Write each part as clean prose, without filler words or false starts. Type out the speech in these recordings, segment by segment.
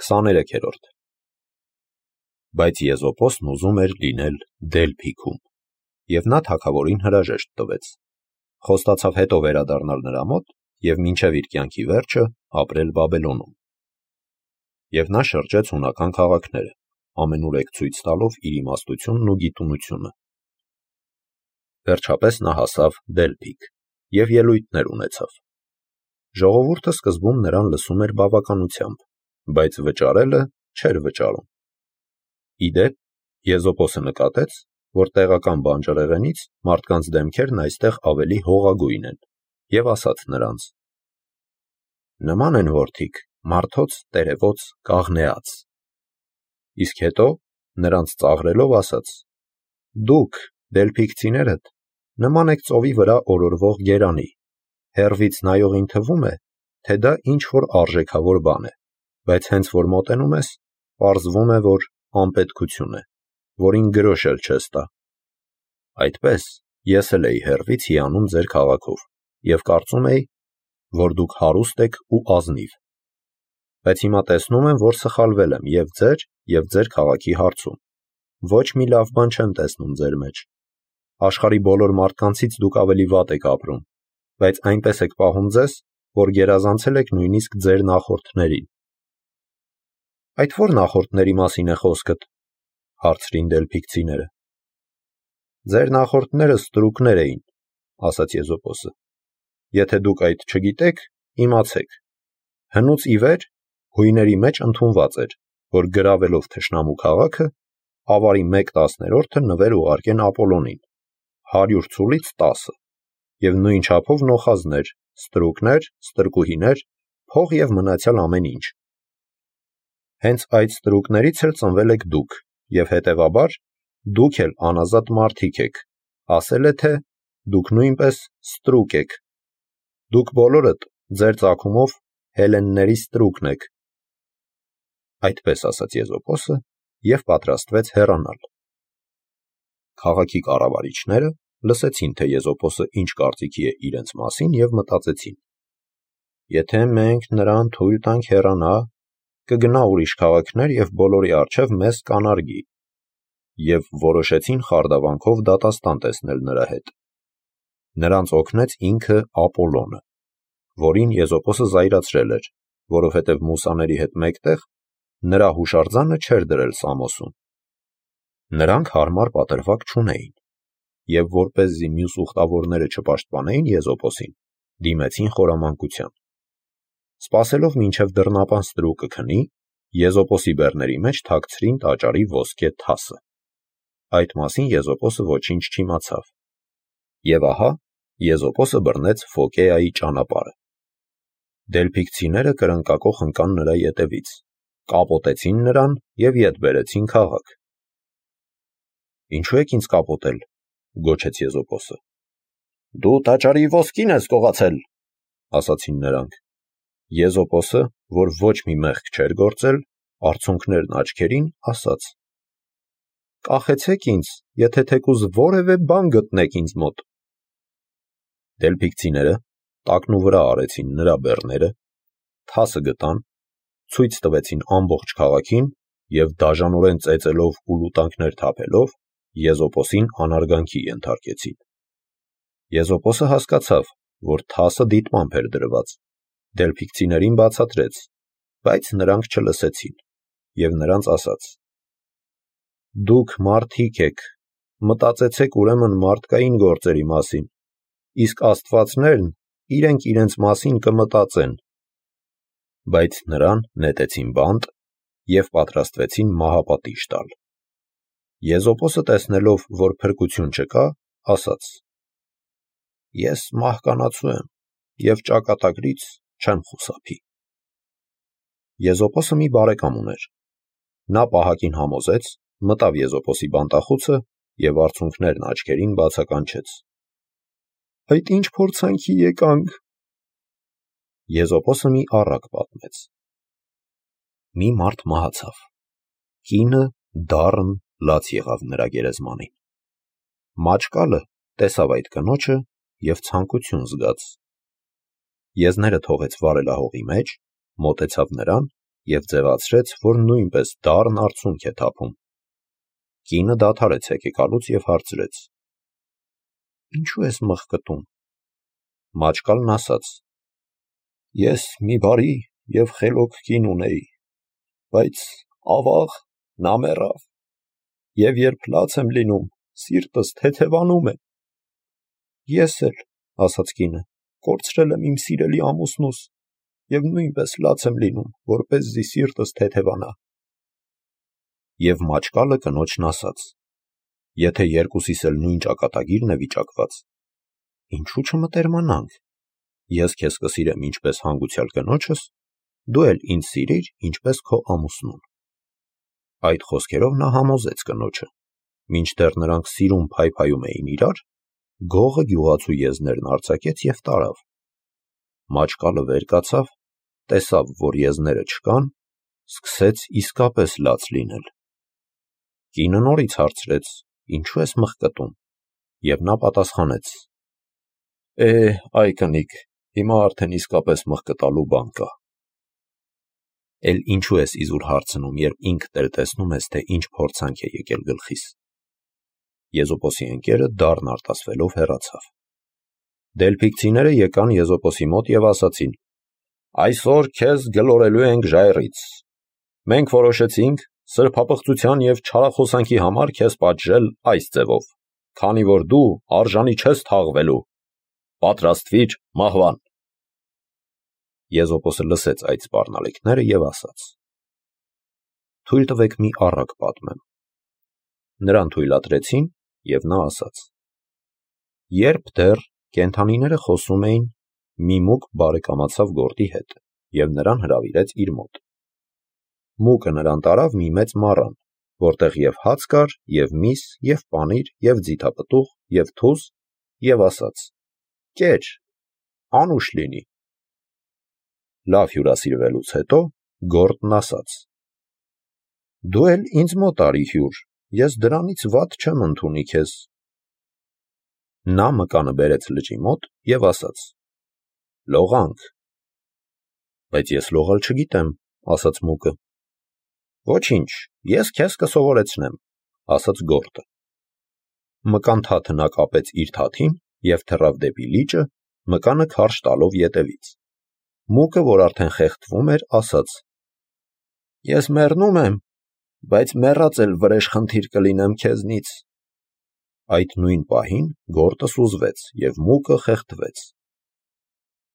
23-րդ Բայց Եզոպոսն ուզում էր լինել Դելփիքում, և նա թագավորին հրաժեշտ տվեց, խոստացավ հետո վերադառնալ նրա մոտ և մինչև իր կյանքի վերջը ապրել Բաբելոնում։ Եվ նա շրջեց հունական քաղաքները, ամենուրեք ցույց տալով իր իմաստությունն ու գիտունությունը։ Վերջապես նա հասավ Դելփիք և ելույթներ ունեցավ։ Ժողովուրդը սկզբում նրան լսում էր բավականությամբ, բայց վճարելը չէր վճարում։ Ի դեպ, Եզոպոսը նկատեց, որ տեղական բանջարեղենից մարդկանց դեմքերն այստեղ ավելի հողագույն են, և ասաց նրանց. «Նման են որդիք մարդոց տերևոց կաղնեած»։ Իսկ հետո, նրանց ծաղրելով, ասաց. «Դուք, դելփիքցիներդ, նման եք ծովի վրա օրորվող գերանի, հեռվից նայողին թվում է, թե դա ինչ-որ արժեքավոր բան է, բայց հենց որ մոտենում ես, պարզվում է, որ անպետքություն է, որին գրոշ էլ չես տա։ Այդպես ես էլ էի հեռվից հիանում ձեր քաղաքով և կարծում էի, որ դուք հարուստ եք ու ազնիվ։ Բայց հիմա տեսնում եմ, որ սխալվել եմ և ձեր քաղաքի հարցում, ոչ մի լավ բան չեմ տեսնում ձեր մեջ։ Աշխարհի բոլոր մարդկանցից դուք ավելի վատ եք ապրում, բայց այնպես եք պահում ձեզ, որ գերազանցել եք նույնիսկ ձեր նախորդներին»։ «Այդ ո՞ր նախորդների մասին է խոսքդ», հարցրին դելփիքցիները։ «Ձեր նախորդները ստրուկներ էին», ասաց Եզոպոսը։ «Եթե դուք այդ չգիտեք, իմացեք. հնուց ի վեր հույների մեջ ընդունված էր, որ գրավելով թշնամու քաղաքը, ավարի 1/10 նվեր ուղարկեն Ապոլոնին, 100 ցուլից 10, և նույն չափով նոխազներ, ստրուկներ, ստրկուհիներ, փող և մնացյալ ամեն ինչ։ Հենց այդ ստրուկներից էլ ծնվել եք դուք, և հետևաբար դուք էլ անազատ մարդիկ եք, ասել է, թե դուք նույնպես ստրուկ եք։ Դուք բոլորդ ձեր ծագումով հելլենների ստրուկն եք»։ Այդպես ասաց Եզոպոսը և պատրաստվեց հեռանալ։ Քաղաքի կառավարիչները լսեցին, թե Եզոպոսը ինչ կարծիքի է իրենց մասին և մտածեցին. «Եթե մենք նրան թույլ տանք հեռանա, կգնա ուրիշ քաղաքներ և բոլորի առջև մեզ կանարգի», և որոշեցին խարդավանքով դատաստան տեսնել նրա հետ։ Նրանց օգնեց ինքը Ապոլոնը, որին Եզոպոսը զայրացրել էր, որովհետև մուսաների հետ մեկտեղ նրա հուշարձանը չէր դրել Սամոսում։ Նրանք հարմար պատրվակ չունեին, և որպեսզի մյուս ուխտավորները չպաշտպանեին Եզոպոսին, դիմեցին խորամանկության։ Սպասելով մինչև դռնապան ստրուկը քնի, Եզոպոսի բեռների մեջ թաքցրին տաճարի ոսկե թասը։ Այդ մասին Եզոպոսը ոչինչ չիմացավ։ Եվ ահա Եզոպոսը բռնեց Ֆոկեայի ճանապարհը։ Դելփիքցիները կրնկակոխ ընկան նրա ետևից, կապոտեցին նրան և ետ բերեցին քաղաք։ «Ինչու եք ինձ կապոտել», գոչեց Եզոպոսը։ «Դու տաճարի ոսկին ես կողացել», ասացին նրանք։ Եզոպոսը, որ ոչ մի մեղք չէր գործել, արցունքներն աչքերին, ասաց. «Կախեցեք ինձ, եթե թեկուզ որևէ բան գտնեք ինձ մոտ»։ Դելփիքցիները տակնուվրա արեցին նրա բեռները, թասը գտան, ցույց տվեցին ամբողջ քաղաքին և դաժանորեն ծեծելով ու լուտանքներ թափելով Եզոպոսին անարգանքի ենթարկեցին։ Եզոպոսը հասկացավ, որ թասը դիտմամբ էր դրված, դելփիքցիներին բացատրեց, բայց նրանք չլսեցին, և նրանց ասաց. «Դուք մարդիկ եք, մտածեցեք ուրեմն մարդկային գործերի մասին, իսկ աստվածներն իրենք իրենց մասին կմտածեն»։ Բայց նրան նետեցին բանտ և պատրաստվեցին մահապատիժ տալ։ Եզոպոսը տեսնելով, որ փրկություն չկա, ասաց. «Ես մահկանացու եմ և ճակատագրից չեմ խուսափի»։ Եզոպոսը մի բարեկամ ուներ։ Նա պահակին համոզեց, մտավ Եզոպոսի բանտախուցը և արցունքներն աչքերին բացականչեց. «Այդ ի՞նչ փորձանքի եկանք»։ Եզոպոսը մի առակ պատմեց։ Մի մարդ մահացավ։ Կինը դառն լաց եղավ նրա գերեզմանին։ Մաճկալը տեսավ այդ կնոջը և ցանկություն զգաց։ Եզները թողեց վարելահողի մեջ, մոտեցավ նրան և ձևացրեց, որ նույնպես դառն արցունք է թափում։ Կինը դադարեց հեկեկալուց և հարցրեց. «Ինչու ես մղկտում»։ Մաճկալն ասաց. «Ես մի բարի և խելոք կին ունեի, բայց ավաղ նա մեռավ, և երբ լաց եմ լինում, սիրտս թեթևանում է»։ «Ես էլ», ասաց կինը, «կորցրել եմ իմ սիրելի ամուսնուս և նույնպես լաց եմ լինում, որպեսզի սիրտս թեթևանա»։ Եվ մաճկալը կնոջն ասաց. «Եթե երկուսիս էլ նույն ճակատագիրն է վիճակված, ինչու չմտերմանանք, ես քեզ կսիրեմ ինչպես հանգուցյալ կնոջս, դու էլ ինձ սիրիր ինչպես քո ամուսնուն»։ Այդ խոսքերով նա համոզեց կնոջը։ Մինչդեռ նրանք սիրուն փայփայում էին իրար, գողը գյուղացու եզներն արձակեց և տարավ։ Մաճկալը վեր կացավ, տեսավ, որ եզները չկան, սկսեց իսկապես լաց լինել։ Կինը նորից հարցրեց. «Ինչու ես մղկտում»։ Եվ նա պատասխանեց. «Այ կնիկ, հիմա արդեն իսկապես մղկտալու բան կա»։ Էլ ինչու ես իզուր հարցնում, երբ ինքդ էլ տեսնում ես, թե ինչ փորձանք է եկել գլխիս։ Եզոպոսի ընկերը դառն արտասվելով հեռացավ։ Դելփիգցիները եկան Եզոպոսի մոտ և ասացին. «Այսօր քեզ գլորելու ենք ժայռից։ Մենք որոշեցինք սրբապղծության և չարախոսանքի համար քեզ պատժել այս ձևով, քանի որ դու արժանի չես թաղվելու, պատրաստվիր մահվան»։ Եզոպոսը լսեց այդ սպառնալիքները և ասաց. «Թույլ տվեք մի առակ պատմեմ»։ Նրան թույլատրեցին, և նա ասաց. «Երբ դեռ կենդանիները խոսում էին, մի մուկ բարեկամացավ գորտի հետ և նրան հրավիրեց իր մոտ։ Մուկը նրան տարավ մի մեծ մառան, որտեղ և հաց կար, և միս, և պանիր, և ձիթապտուղ, և թուզ, և ասաց. «Կեր, անուշ լինի»։ Լավ հյուրասիրվելուց հետո գորտն ասաց. «Դու էլ ինձ մոտ արի հյուր, ես դրանից վատ չեմ ընդունի քեզ»։ Նա մկանը բերեց լճի մոտ և ասաց. «Լողանք»։ «Բայց ես լողալ չգիտեմ», ասաց մուկը։ «Ոչինչ, ես քեզ կսովորեցնեմ», ասաց գորտը։ Մկան թաթը նա կապեց իր թաթին և թռավ դեպի լիճը, մկանը քարշ տալով ետևից։ Մուկը, որ արդեն խեղդվում էր, ասաց. «Ես մեռնում եմ, բայց մեռած էլ վրեժխնդիր կլինեմ քեզնից»։ Այդ նույն պահին գորտը սուզվեց, և մուկը խեղդվեց։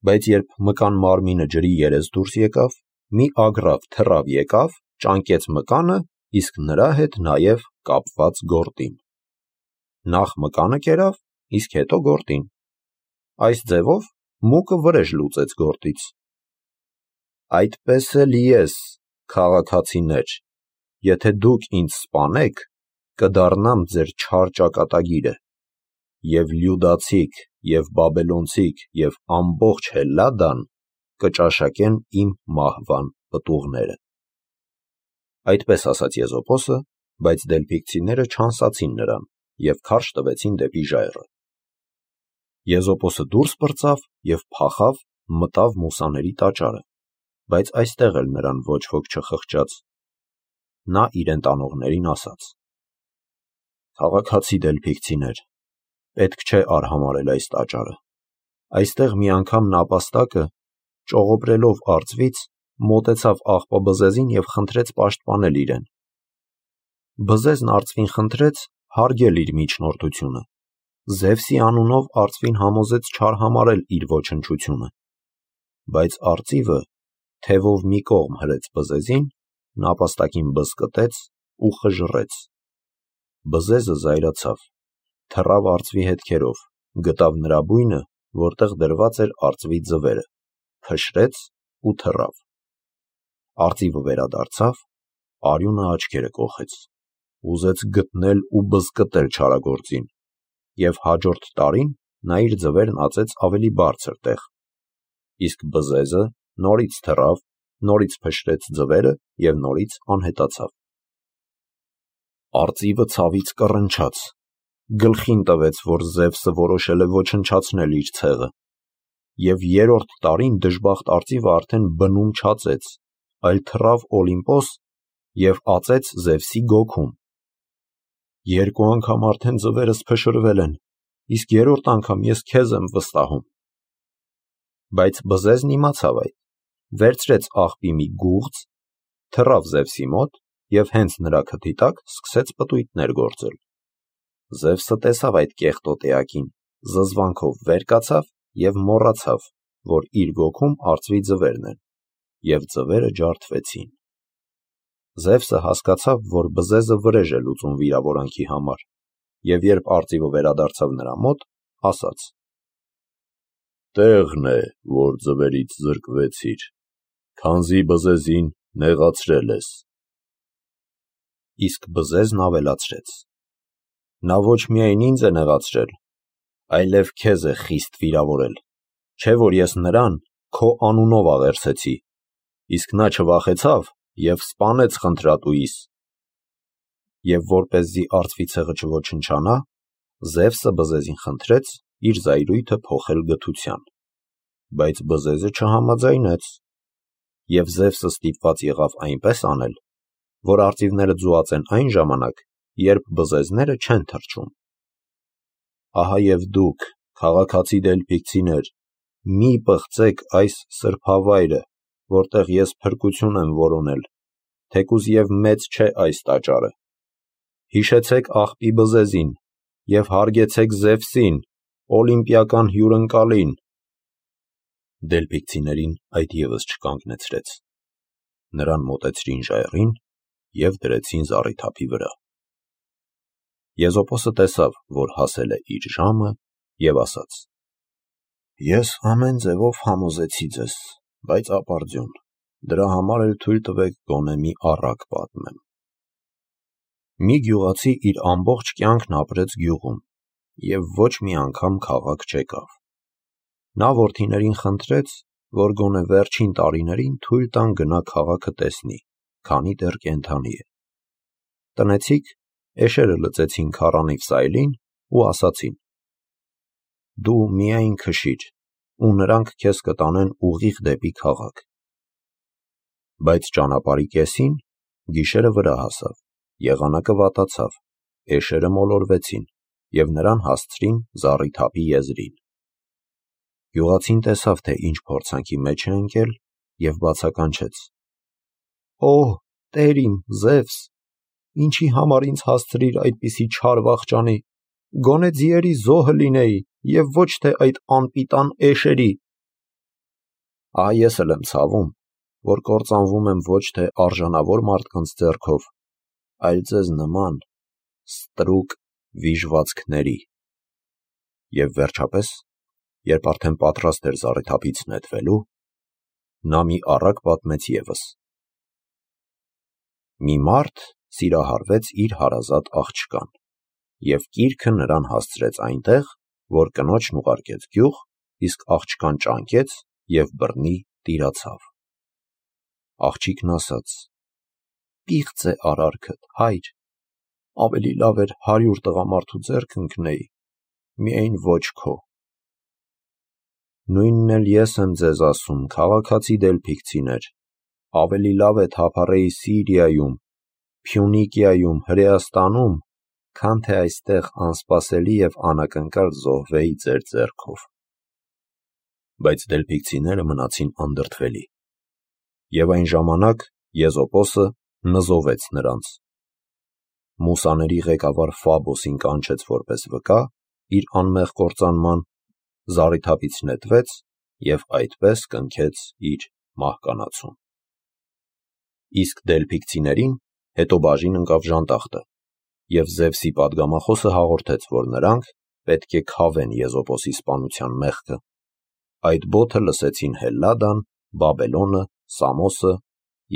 Բայց երբ մկան մարմինը ջրի երես դուրս եկավ, մի ագռավ թռավ եկավ, ճանկեց մկանը, իսկ նրա հետ նաև կապված գորտին։ Նախ մկանը կերավ, իսկ հետո գորտին։ Այս ձևով մուկը վրեժ լուծեց գորտից։ «Այդպես էլ ես, քաղաքացիներ, եթե դուք ինձ սպանեք, կդառնամ ձեր չար ճակատագիրը, և լյուդացիք, և բաբելոնցիք, և ամբողջ Հելլադան կճաշակեն իմ մահվան պտուղները»։ Այդպես ասաց Եզոպոսը, բայց դելփիգցիները չանսացին նրան և քարշ տվեցին դեպի ժայռը։ Եզոպոսը դուրս պրծավ և փախավ, մտավ մուսաների տաճարը, բայց այստեղ էլ նրան ոչ ոք չխղճաց։ Նա իրեն տանողներին ասաց. «Քաղաքացի դելփիգցիներ, պետք չէ արհամարհել այս տաճարը։ Այստեղ մի անգամ նապաստակը, ճողոպրելով արծվից, մոտեցավ աղբաբզեզին և խնդրեց պաշտպանել իրեն։ Բզեզն արծվին խնդրեց հարգել իր միջնորդությունը։ Զևսի անունով արծվին համոզեց չարհամարհել իր ոչնչությունը։ Բայց արծիվը թևով մի կողմ հրեց բզեզին, նապաստակին բզկտեց ու խժռեց։ Բզեզը զայրացավ, թռավ արծվի հետքերով, գտավ նրա բույնը, որտեղ դրված էր արծվի ձվերը, փշրեց ու թռավ։ Արծիվը վերադարձավ, արյունը աչքերը կոխեց, ուզեց գտնել ու բզկտել չարագործին, և հաջորդ տարին նա իր ձվերն ածեց ավելի բարձր տեղ։ Իսկ բզեզը նորից թռավ, նորից փշրեց ձվերը և նորից անհետացավ։ Արծիվը ցավից կռնչաց, գլխին տվեց, որ Զևսը որոշել է ոչնչացնել իր ցեղը, և երրորդ տարին դժբախտ արծիվը արդեն բնում չածեց, այլ թռավ Օլիմպոս և ածեց Զևսի գոքում։ Երկու անգամ արդեն ձվերս փշրվել են, իսկ երրորդ անգամ ես քեզ եմ վստահում։ Բայց բզեզն իմացավ այդ, վերցրեց աղբի մի գուղծ, թռավ Զևսի մոտ և հենց նրա քթի տակ սկսեց պտույտներ գործել։ Զևսը տեսավ այդ կեղտոտ էակին, զզվանքով վեր կացավ և մոռացավ, որ իր գոքում արծվի ձվերն են, և ձվերը ջարդվեցին։ Զևսը հասկացավ, որ բզեզը վրեժ է լուծում վիրավորանքի համար, և երբ արծիվը վերադարձավ նրա մոտ, ասաց. «Տեղն է, որ ձվերից զրկվեցիր, քանզի բզեզին նեղացրել ես»։ Իսկ բզեզն ավելացրեց. «Նա ոչ միայն ինձ է նեղացրել, այլև քեզ է խիստ վիրավորել, չէ՞ որ ես նրան քո անունով աղերսեցի, իսկ նա չվախեցավ և սպանեց խնդրատուիս»։ Եվ որպեսզի արծվի ցեղը չոչնչանա, Զևսը բզեզին խնդրեց իր զայրույթը փոխել գթության, բայց բզեզը չհամաձայնեց, և Զևսը ստիպված եղավ այնպես անել, որ արծիվները ձուացեն այն ժամանակ, երբ բզեզները չեն թռչում։ Ահա և դուք, քաղաքացի դելփիգցիներ, մի պղծեք այս սրբավայրը, որտեղ ես փրկություն եմ որոնել, թեկուզ և մեծ չէ այս տաճարը։ Հիշեցեք աղբի բզեզին և հարգեցեք Զևսին, օլիմպիական հյուրընկալին։ Դելփիգցիներին այդ ևս չկանգնեցրեց։ Նրան մոտեցրին ժայռին և դրեցին զառիթափի վրա։ Եզոպոսը տեսավ, որ հասել է իր ժամը, և ասաց. «Ես ամեն ձևով համոզեցի ձեզ, բայց ապարդյուն, դրա համար էլ թույլ տվեք գոնե մի առակ պատմեմ։ Մի գյուղացի իր ամբողջ կյանքն ապրեց գյուղում և ոչ մի անգամ քաղաք չեկավ։ Նա որդիներին խնդրեց, որ գոնե վերջին տարիներին թույլ տան գնա քաղաքը տեսնի, քանի դեռ կենդանի է։ Տնեցիք էշերը լծեցին քառանիվ սայլին ու ասացին. «Դու միայն քշիր, ու նրանք քեզ կտանեն ուղիղ դեպի քաղաք»։ Բայց ճանապարհի կեսին գիշերը վրա հասավ, եղանակը վատացավ, էշերը մոլորվեցին և նրան հասցրին զառիթափի եզրին։ Գյուղացին տեսավ, թե ինչ փորձանքի մեջ է ընկել, և բացականչեց. «Օհ, տեր իմ Զևս, ինչի համար ինձ հասցրիր այդպիսի չար վախճանի, գոնե ձիերի զոհը լինեի և ոչ թե այդ անպիտան էշերի։ Ահա ես էլ եմ ցավում, որ կործանվում եմ ոչ թե արժանավոր մարդկանց ձեռքով, այլ ձեզ նման ստրուկ վիժվածքների»։ Եվ վերջապես, երբ արդեն պատրաստ էր զառիթափից նետվելու, նա մի առակ պատմեց ևս. մի մարդ սիրահարվեց իր հարազատ աղջկան, և կիրքը նրան հասցրեց այնտեղ, որ կնոջն ուղարկեց գյուղ, իսկ աղջկան ճանկեց և բռնի տիրացավ։ Աղջիկն ասաց. «Պիղծ է արարքդ, հայր, ավելի լավ էր 100 տղամարդու ձեռք ընկնեի, միայն ոչ քո»։ Նույնն էլ ես եմ ձեզ ասում, քաղաքացի դելփիգցիներ, ավելի լավ է թափառեի Սիրիայում, Փյունիկիայում, Հրեաստանում, քան թե այստեղ անսպասելի և անակնկալ զոհվեի ձեր ձեռքով։ Բայց դելփիգցիները մնացին անդրդվելի։ Եվ այն ժամանակ Եզոպոսը նզովեց նրանց։ Մուսաների ղեկավար Ֆաբոսին կանչեց որպես վկա իր անմեղ կործանման, զառիթափից նետվեց և այդպես կնքեց իր մահկանացուն։ Իսկ դելփիգցիներին հետո բաժին ընկավ ժանտախտը, և Զևսի պատգամախոսը հաղորդեց, որ նրանք պետք է քավեն Եզոպոսի սպանության մեղքը։ Այդ բոթը լսեցին Հելլադան, Բաբելոնը, Սամոսը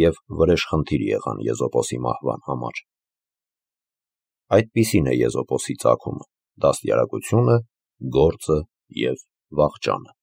և վրեժխնդիր եղան Եզոպոսի մահվան համար։ Այդպիսին է Եզոպոսի ծագումը, դաստիարակությունը, գործը և վախճանը։